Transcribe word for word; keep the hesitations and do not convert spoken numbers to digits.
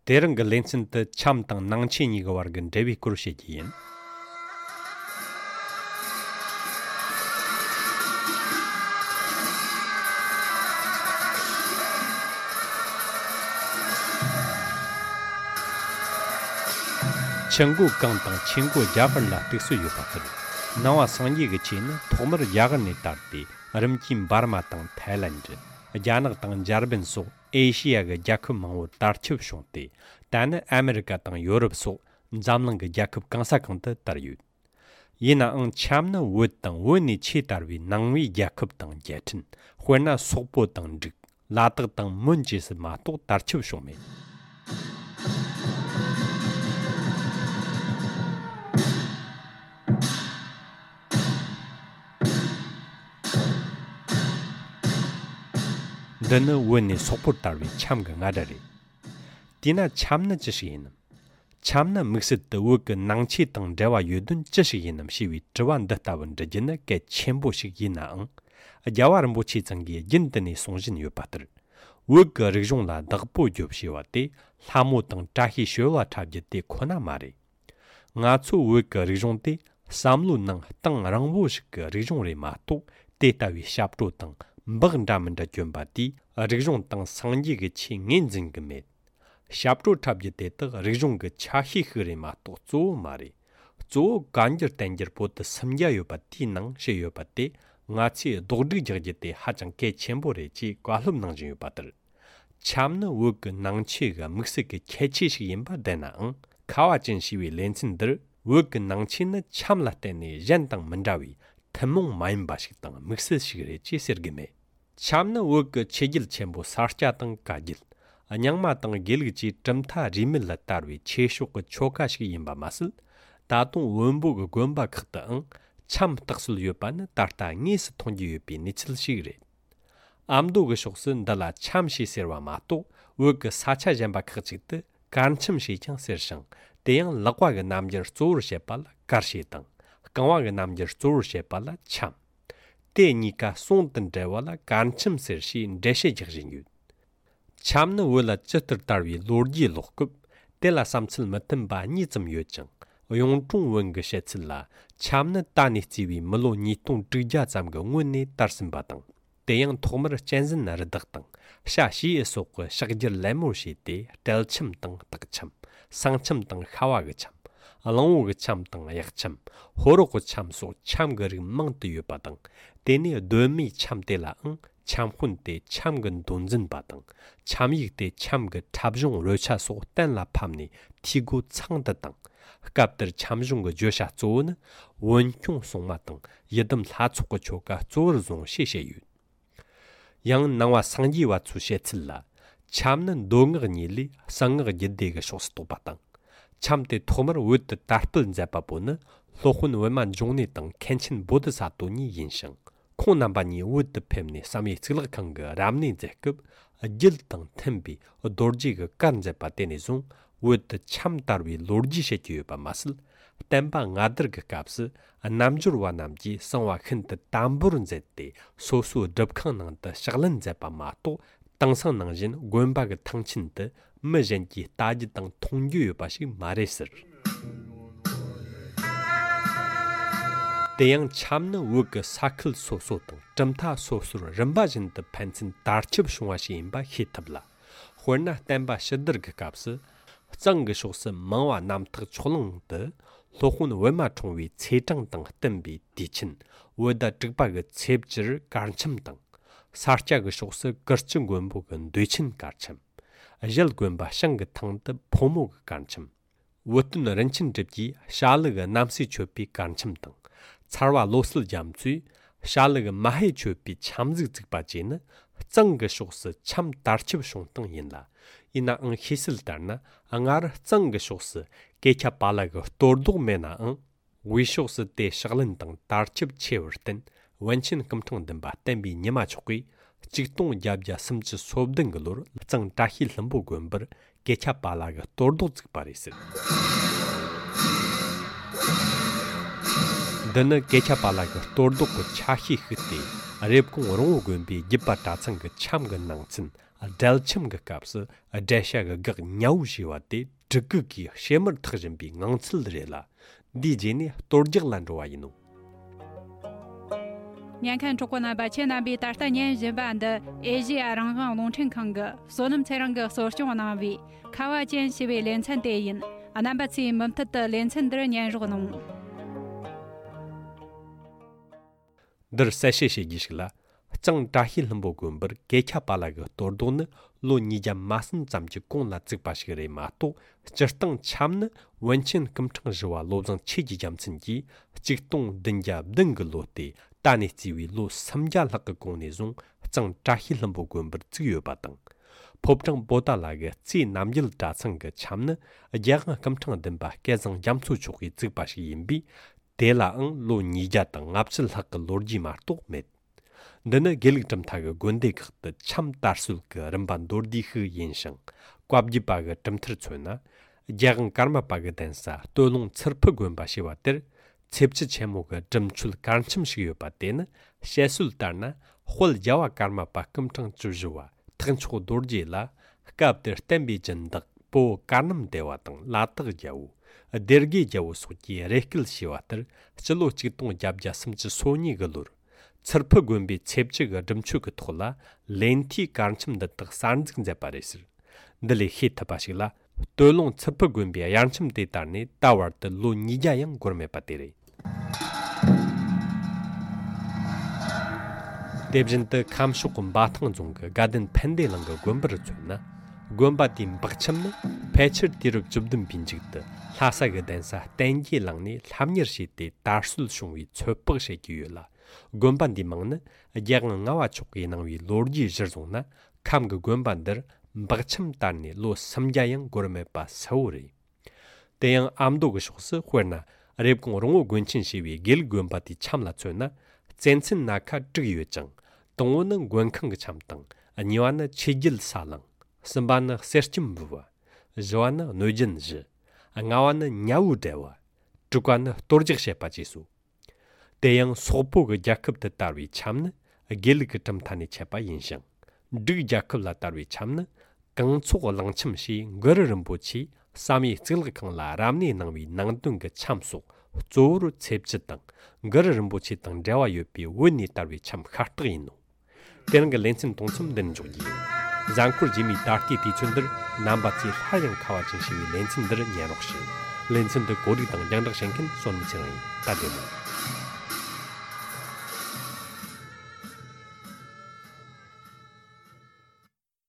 དེ་རིང་གི་ལེ་ཚན་དུ་འཆམ་དང་ནང་ཆོས་གཉིས་ཀྱི་བར་གྱི་འབྲེལ་བའི་སྐོར་བཤད་རྒྱུ་ཡིན། ཆུ་མགོ་གངས་དང་ཆུ་མགོ་རྒྱ་གར་ལ་གཏུགས་སྲོལ་ཡོད་པ་ལྟར། ནང་པ་སངས་རྒྱས་ཀྱི་ཆོས་ནི་ཐོག་མར་རྒྱ་གར་ནས་དར་ཏེ། རིམ་གྱིས་འབར་མ་དང་ཐའི་ལན་ཌི། རྒྱ་ནག་དང་འཇར་པན་སོགས་ཨེ་ཤི་ཡ་གི་རྒྱལ་ཁབ་མང་པོར་དར་ཁྱབ་བྱུང་སྟེ། ད་ནི་ཨ་མེ་རི་ཀ་དང་ཡོ་རོབ་སོགས་འཛམ་གླིང་གི་རྒྱལ་ཁབ་གང་ས་གང་དུ་དར་ཡོད། ཡིན་ནའང་འཆམ་ནི་བོད་དང་བོད་ནས་ཆེས་དར་བའི་ནང་པའི་རྒྱལ་ཁབ་དང་རྒྱལ་ཕྲན། དཔེར་ན་སོག་པོ་དང་འབྲུག། ལ་དྭགས་དང་མོན་བཅས་སུ་མ་གཏོགས་དར་ཁྱབ་བྱུང་མེད། འདི་ནི་བོད་ནས་སོག་པོར་དར་བའི་འཆམ་གྱི་རྔ་སྒྲ་རེད། དེས་ན་འཆམ་ནི་ཅི་ཞིག་ཡིན་ནམ། འཆམ་ནི་དམིགས་བསལ་དུ་བོད་ཀྱི་ནང་ཆོས་དང་འབྲེལ་བ་ཡོད་དོན་ཅི་ཞིག་ཡིན་ནམ་ཞེས་པའི་དྲི་བ་འདི་ལྟ་བུ་འདྲི་རྒྱུ་ནི་གལ་ཆེན་པོ་ཞིག་ཡིན་ནའང་། རྒྱལ་བ་རིན་པོ་ཆེ་ཚང་གིས་རྒྱུན་དུ་ནས་གསུང་བཞིན་ཡོད་པ་ལྟར། བོད་ཀྱི་རིག་གཞུང་ལ་བདག་པོ་རྒྱོབ་ཞེས་པ་དེ་ལྷ་མོ་དང་བཀྲ་ཤིས་ཞོལ་བ་འཁྲབ་རྒྱུ་དེ་ཁོ་ན་མ་རེད། ང་ཚོ་བོད་ཀྱི་རིག་གཞུང་དེ་བསམ་བློའི་ནང་གཏིང་རིང་བོ་ཞིག་གི་རིག་གཞུང་རེད་མ་གཏོགས། དེ་ལྟ་བུའི་ཞབས་བྲོ་དང་འབག་འདྲ་མི་འདྲ་གྱོན་པ་དེས་རིག་གཞུང་དང་སངས་རྒྱས་ཀྱི་ཆོས་ངོས་འཛིན་གྱི་མེད། ཞབས་བྲོ་འཁྲབ་རྒྱུ་དེ་དག་རིག་གཞུང་གི་ཆ་ཤས་ཤིག་རེད་མ་གཏོགས་གཙོ་བོ་མ་རེད། གཙོ་བོ་བཀའ་འགྱུར་བསྟན་འགྱུར་པོ་ཏི་སུམ་བརྒྱ་ཡོད་པ་དེའི་ནང་བཤད་ཡོད་པ་དེ་ང་ཚོས་ལྡོག་སྒྲིག་རྒྱག་རྒྱུ་དེ་ཧ་ཅང་གལ་ཆེན་པོ་རེད་ཅེས་བཀའ་སློབ་གནང་བཞིན་ཡོད་པ་ལྟར། འཆམ་ནི་བོད་ཀྱི་ནང་ཆོས་ཀྱི་དམིགས་བསལ་གྱི་ཁྱད་ཆོས་ཤིག་ཡིན་པ་བདེན་ནའང་། ཁ་བ་ཅན་ཞེས་པའི་ལེ་ཚན་འདིར་བོད་ཀྱི་ནང་ཆོས་ནི་འཆམ་ལ་བརྟེན་ནས་གཞན་དང་མི་འདྲ་བའི་ཐུན་མོང་མ་ཡིན་པ་ཞིག་དང་དམིགས་བསལ་ཞིག་རེད་ཅེས་ཟེར་གྱི་མེད། འཆམ་ནི་བོད་ཀྱི་ཆོས་བརྒྱུད་ཆེན་པོ་ས་སྐྱ་དང་བཀའ་བརྒྱུད། རྙིང་མ་དང་དགེ་ལུགས་བཅས་གྲུབ་མཐའ་རིས་མེད་ལ་དར་བའི་ཆོས་ཕྱོགས་ཀྱི་ཆོ་ག་ཞིག་ཡིན་པ་མ་ཟད། ད་དུང་བོན་པོ་གི་དགོན་པ་ཁག་ཏུའང་འཆམ་བརྟག་སྲོལ་ཡོད་པ་ནི་ད་ལྟ་དངོས་སུ་མཐོང་རྒྱུ་ཡོད་པའི་གནས་ཚུལ་ཞིག་རེད། ཨ་མདོ་གི་ཕྱོགས་སུ་འདི་ལ་འཆམ་ཞེས་ཟེར་བ་མ་གཏོགས། བོད་ཀྱི་ས་ཆ་གཞན་པ་ཁག་ཅིག་ཏུ་གར་འཆམ་ཞེས་ཀྱང་ཟེར་ཞིང་། དེ་ཡང་ལག་པ་གི་རྣམ་འགྱུར་གཙོ་བོར་བྱེད་པ་ལ་གར་ཞེས་དང་། རྐང་བ་གི་རྣམ་འགྱུར་གཙོ་བོར་བྱེད་པ་ལ་འཆམ། དེ་གཉིས་ཀ་ཟུང་དུ་འབྲེལ་བ་ལ་གར་འཆམ་ཟེར་ཞེས་འགྲེལ་བཤད་རྒྱག་བཞིན་ཡོད། འཆམ་ནི་བོད་ལ་ཇི་ལྟར་དར་བའི་ལོ་རྒྱུས་ཀློག་སྐབས། དེ་ལ་བསམ་ཚུལ་མི་མཐུན་པ་གཉིས་ཙམ་ཡོད་ཅིང་། གཡུང་དྲུང་བོན་གྱི་བཤད་ཚུལ་ལ། འཆམ་ནི་ད་ནས་བརྩིས་པའི་མི་ལོ་ཉིས་སྟོང་དྲུག་བརྒྱ་ཙམ་གྱི་སྔོན་ནས་དར་ཟིན་པ་དང་། དེ་ཡང་ཐོག་མར་གཅན་གཟན་རི་དྭགས་དང་། བྱ་བྱིའུ་སོགས་ཀྱི་ཕྱག་རྒྱར་ལད་མོ་བྱས་ཏེ། སྤྲེལ་འཆམ་དང་སྟག་འཆམ། སེང་འཆམ་དང་ཤ་བ་གི་འཆམ། གླང་བོ་གི་འཆམ་དང་གཡག་འཆམ། ཕོ་རོག་གི་འཆམ་སོགས་འཆམ་གྱི་རིགས་མང་དུ་ཡོད་པ་དང་། དེ་ནས་གདོད་མའི་འཆམ་དེ་ལའང་། འཆམ་དཔོན་དེ་འཆམ་གྱི་མདོ་འཛིན་པ་དང་། འཆམ་ཡིག་དེ་འཆམ་གྱི་འཁྲབ་གཞུང་རོལ་ཆ་སོགས་གཏན་ལ་ཕབ་ནས་འཐུས་སྒོ་ཚང་དུ་བཏང་། སྐབས་དེར་འཆམ་གཞུང་གི་བརྗོད་བྱ་གཙོ་བོ་ནི། བོན་སྐྱོང་སྲུང་མ་དང་ཡི་དམ་ལྷ་ཚོགས་ཀྱི་ཆོ་ག་གཙོ་བོར་བཟུང་ཞེས་བཤད་ཡོད། ཡང་ནང་པ་སངས་རྒྱས་པ་ཚོའི་བཤད་ཚུལ་ལ། འཆམ་ནི་མདོ་སྔགས་གཉིས་ལས་གསང་སྔགས་རྒྱུད་སྡེ་གི་ཕྱོགས་སུ་གཏོགས་པ་དང་། འཆམ་དེ་ཐོག་མར་བོད་དུ་དར་སྤེལ་མཛད་པ་པོ་ནི་སློབ་དཔོན་པད་མ་འབྱུང་གནས་དང་མཁན་ཆེན་བོ་དྷི་ས་ཏྭ་གཉིས་ཡིན་ཞིང་། ཁོང་རྣམ་པ་གཉིས་བོད་དུ་ཕེབས་ནས་བསམ་ཡས་གཙུག་ལག་ཁང་གི་རབ་གནས་མཛད་སྐབས། རྒྱུད་དང་མཐུན་པའི་རྡོ་རྗེ་གི་གར་མཛད་པ་དེ་ནས་བཟུང་། བོད་དུ་འཆམ་དར་བའི་ལོ་རྒྱུས་བཤད་ཀྱི་ཡོད་པ་མ་ཟད། བསྟན་པ་སྔ་དར་གྱི་སྐབས་སུ་རྣལ་འབྱོར་བ་རྣམས་ཀྱིས་གསང་བ་ཤིན་ཏུ་དམ་པོར་མཛད་དེ། སོ་སོའི་སྒྲུབ་ཁང་ནང་དུ་ཕྱག་ལེན་མཛད་པ་མ་གཏོགས། དེང་སང་ནང་བཞིན་དགོན་པ་གི་ཐང་ཆེན་དུ་མི་གཞན་གྱིས་ལྟ་རྒྱུ་དང་མཐོང་རྒྱུ་ཡོད་པ་ཞིག་མ་རེད་ཟེར། དེ་ཡང་འཆམ་ནི་བོད་ཀྱི་ས་ཁུལ་སོ་སོ་དང་གྲུབ་མཐའ་སོ་སོར་རིམ་པ་བཞིན་དུ་ཕན་ཚུན་དར་ཁྱབ་བྱུང་བ་ཞིག་ཡིན་པ་ཤེས་ཐུབ་ལ། དཔེར་ན་བསྟན་པ་ཕྱི་དར་གྱི་སྐབས་སུ། གཙང་གི་ཕྱོགས་སུ་མང་བ་གནམ་ཐག་ཕྱོགས་གླང་དུ། སློབ་དཔོན་པད་མ་འཁྲུངས་པའི་ཚེས་གྲངས་དང་བསྟུན་པའི་དུས་ཆེན་བོད་ཟླ་དྲུག་པ་གི་ཚེས་བཅུར་གར་འཆམ་དང་། ས་སྐྱ་གི་ཕྱོགས་སུ་ཀིརྟི་མགོན་པོ་གི་མདོས་ཆེན་གར་འཆམ། གཞལ་དགོན་པ་བྱང་གི་ཐང་དུ་ཕོ་མོ་གི་གར་འཆམ། བུ་སྟོན་རིན་ཆེན་གྲུབ་ཀྱིས་བྱ་ལུ་གི་རྣམ་སྲས་མཆོད་པའི་གར་འཆམ་དང་། ཚར་བ་བློ་གསལ་རྒྱ་མཚོས་བྱ་ལུ་གི་མ་ཧེ་མཆོད་པའི་འཆམ་གཟིགས་བཙུགས་པ་བཅས་ནི་གཙང་གི་ཕྱོགས་སུ་འཆམ་དར་ཁྱབ་བྱུང་སྟངས་ཡིན་ལ། ཡིན་ནའང་ཤེས་གསལ་ལྟར་ན། སྔར་གཙང་གི་ཕྱོགས་སུ་ཀེ་ཁྱ་པཱ་ལ་གི་གཏོར་བཟློག་མེད་ནའང་། དབུས་ཕྱོགས་སུ་དེ་ཕྱག་ལེན་དང་དར་ཁྱབ་ཆེ་བར་བརྟེན། པཎ་ཆེན་སྐུ་ཕྲེང་བདུན་པ་བསྟན་པའི་ཉི་མ་མཆོག་གིས་གཅིག་སྟོང་བརྒྱད་བརྒྱ་སུམ་ཅུ་སོ་བདུན་གྱི་ལོར་གཙང་བཀྲ་ཤིས་ལྷུན་པོ་དགོན་པར་ཀེ་ཁྱ་པཱ་ལ་གི་གཏོར་བཟློག་བཙུགས་པ་རེད་ཟེར། འདི་ནི་ཀེ་ཁྱ་པཱ་ལ་གི་གཏོར་བཟློག་གི་ཆ་ཤས་ཤིག་སྟེ། རེབ་གོང་རོང་བོ་དགོན་པའི་རྒྱུད་པ་གྲྭ་ཚང་གི་འཆམ་གྱི་ནང་ཚན། དྲེལ་འཆམ་གྱི་སྐབས་སུ་བྲེལ་བྱ་གི་སྒེག་ཉལ་བོ་ཞེས་པ་དེ་གྲི་གུག་གིས་ཕྱེ་མར་འཐག་བཞིན་པའི་ངང་ཚུལ་རེད་ལ། འདིའི་རྗེས་ནས་གཏོར་རྒྱག་ལ་འགྲོ་བ་ཡིན་ནོ། ཉན་མཁན་གྲོགས་པོ་རྣམ་པ། ཁྱེད་རྣམ་པས་ད་ལྟ་ཉན་བཞིན་པ་འདི་ཨེ་ཤེ་ཡ་རང་དབང་རླུང་འཕྲིན་ཁང་གི་བསོད་ནམས་ཚེ་རིང་གིས་གཙོ་སྐྱོང་གནང་བའི་ཁ་བ་ཅན་ཞེས་པའི་ལེ་ཚན་དེ་ཡིན། རྣམ་པ་ཚོས་མུ་མཐུད་དུ་ལེ་ཚན་འདིར་ཉན་རོགས་གནང་། འདིར་གསལ་བཤད་བྱེད་རྒྱུ་ཞིག་ལ། གཙང་བཀྲ་ཤིས་ལྷུན་པོ་དགོན་པར་སྐེ་ཁ་པ་ལ་གི་གཏོར་བརྡུང་ནི་ལོ་ཉིས་བརྒྱ་མ་ཟིན་ཙམ་གྱི་གོང་ལ་བཙུགས་པ་ཞིག་རེད་མ་གཏོགས། སྤྱིར་བཏང་འཆམ་ནི་བན་ཆེན་སྐུ་ཕྲེང་བཞི་བ་བློ་བཟང་ཆོས་ཀྱི་རྒྱལ་མཚན་གྱིས་གཅིག་སྟོང་བདུན་བརྒྱ་བདུན་གྱི་ལོ་སྟེ་ད་ནས་བརྩིས་པའི་ལོ་སུམ་བརྒྱ་ལྷག་གི་གོང་ནས་བཟུང་གཙང་བཀྲ་ཤིས་ལྷུན་པོ་དགོན་པར་བཙུགས་ཡོད་པ་དང་། ཕོ་བྲང་པོ་ཏཱ་ལ་གི་རྩེའི་རྣམ་རྒྱལ་གྲྭ་ཚང་གི་འཆམ་ནི་རྒྱལ་དབང་སྐུ་ཕྲེང་བདུན་པ་སྐལ་བཟང་རྒྱ་མཚོ་མཆོག་གིས་བཙུགས་པ་ཞིག་ཡིན་པས། དེ་ལའང་ལོ་ཉིས་བརྒྱ་དང་ལྔ་བཅུ་ལྷག་གི་ལོ་རྒྱུས་མ་གཏོགས་མེད། འདི་ནི་དགེ་ལུགས་གྲུབ་མཐའ་གི་དགོན་སྡེ་ཁག་ཏུ་འཆམ་དར་སྲོལ་གྱི་རིམ་པ་མདོར་བསྡུས་ཤིག་ཡིན་ཞིང་། བཀའ་བརྒྱུད་པ་གི་གྲུབ་མཐར་མཚོན་ན། རྒྱལ་དབང་ཀརྨ་པ་གི་གདན་ས་སྟོད་ལུང་ཚུར་ཕུ་དགོན་པ་ཞེས་པ་དེར་ཚེ་བཅུ་ཆེན་མོ་གི་སྒྲུབ་མཆོད་གར་འཆམ་ཞིག་ཡོད་པ་དེ་ནི། བཤད་སྲོལ་ལྟར་ན་དཔལ་རྒྱལ་བ་ཀརྨ་པ་སྐུ་ཕྲེང་བཅུ་བཞི་བ་ཐེག་མཆོག་རྡོ་རྗེ་ལ་སྐབས་དེར་བསྟན་པའི་སྦྱིན་བདག་བོད་བཀའ་གནམ་སྡེ་བ་དང་ལ་དྭགས་རྒྱལ་པོ། སྡེ་དགེ་རྒྱལ་པོ་སོགས་ཀྱིས་རེ་སྐུལ་བྱས་པ་ལྟར། སྤྱི་ལོ་ཆིག་སྟོང་བརྒྱད་བརྒྱ་སུམ་ཅུ་སོ་གཉིས་གི་ལོར་ཚུར་ཕུ་དགོན་པའི་ཚེ་བཅུ་གི་སྒྲུབ་མཆོད་ཀྱི་ཐོག་ལ་ལེན་ཐོའི་གར་འཆམ་འདི་དག་གསར་འཛུགས་མཛད་པ་རེད་ཟེར། འདི་ལས་ཤེས་ཐུབ་པ་ཞིག་ལ། སྟོད་ལུང་ཚུར་ཕུ་དགོན་པའི་དབྱར་འཆམ་དེ་དར་ནས་ད་བར་དུ་ལོ་ཉིས་བརྒྱ་ཡང་འགོར་མེད་པ་དེ་རེད། དེ་བཞིན་དུ་ཁམས་ཕྱོགས་འབའ་ཐང་རྫོང་གི་དགའ་ལྡན་ཕན་བདེ་གླིང་གི་དགོན་པར་མཚོན་ན། དགོན་པ་དེའི་འབག་ཆམ་ནི་ཕལ་ཆེར་དུས་རབས་བཅུ་བདུན་པའི་མཇུག་ཏུ་ལྷ་ས་གི་གདན་ས་བསྟན་རྒྱས་གླིང་ནས་སློབ་གཉེར་བྱས་ཏེ་དར་སྲོལ་བྱུང་བའི་ཚོད་དཔག་བྱེད་ཀྱི་ཡོད་ལ། དགོན་པ་འདིའི་མིང་ནི་རྒྱལ་དབང་ལྔ་བ་མཆོག་གིས་གནང་བའི་ལོ་རྒྱུས་གཞིར་བཟུང་ན། ཁམས་ཀྱི་དགོན་པ་འདིར་འབག་ཆམ་དར་ནས་ལོ་སུམ་བརྒྱ་ཡང་འགོར་མེད་པ་གསལ་བོ་རེད། དེ་ཡང་ཨ་མདོ་གི་ཕྱོགས་སུ། དཔེར་ན་རེབ་གོང་རོང་བོ་དགོན་ཆེན་ཞེས་པའི་དགེ་ལུགས་དགོན་པ་དེའི་འཆམ་ལ་མཚོན་ན། བཙན་ཚན་སྣ་ཁ་དྲུག་ཡོད་ཅིང་། དང་པོ་ནི་མགོན་ཁང་གི་འཆམ་དང་། གཉིས་པ་ནི་ཆོས་རྒྱལ་ས་གླིང་། གསུམ་པ་ནི་གསེར་སྐྱེམས་འབུལ་བ། བཞི་བ་ནི་གནོད་སྦྱིན་བཞི། ལྔ་བ་ནི་ཉལ་པོ་བསྒྲལ་བ། དྲུག་པ་ནི་གཏོར་རྒྱག་བྱེད་པ་བཅས་སོ། དེ་ཡང་སོག་པོ་གི་རྒྱལ་ཁབ་ཏུ་དར་བའི་འཆམ་ནི་དགེ་ལུགས་ཀྱི་གྲུབ་མཐའ་ནས་ཆད་པ་ཡིན་ཞིང་། འབྲུག་རྒྱལ་ཁབ་ལ་དར་བའི་འཆམ་ནི་གངས་ཚོགས་གླང་འཆམ་ཞེས་གུ་རུ་རིན་པོ་ཆེས་བསམ་ཡས་གཙུག་ལག་ཁང་ལ་རབ་གནས་གནང་བའི་ནང་དོན་གྱི་འཆམ་སོགས། གཙོ་བོར་ཚེ་བཅུ་དང་གུ་རུ་རིན་པོ་ཆེ་དང་འབྲེལ་བ་ཡོད་པའི་བོད་ནས་དར་བའི་འཆམ་ཤ་སྟག་ཡིན་ནོ། དེ་རིང་གི་ལེ་ཚན་གཏོང་མཚམས་འདིར་འཇོག་རྒྱུ་ཡིན། གཟའ་འཁོར་རྗེས་མའི་ད་ལྟའི་དུས་ཚོད་འདིར་རྣམ་པ་ཚོས་སླར་ཡང་ཁ་བ་ཅན་ཞེས་པའི་ལེ་ཚན་འདིར་ཉན་རོགས་ཞུ། ལེ་ཚན་འདི་གོ་སྒྲིག་དང་རྒྱང་བསྒྲགས་བྱེད་མཁན་བསོད་ནམས་ཚེ་རིང་ཡིན། ད་བདེ་མོ།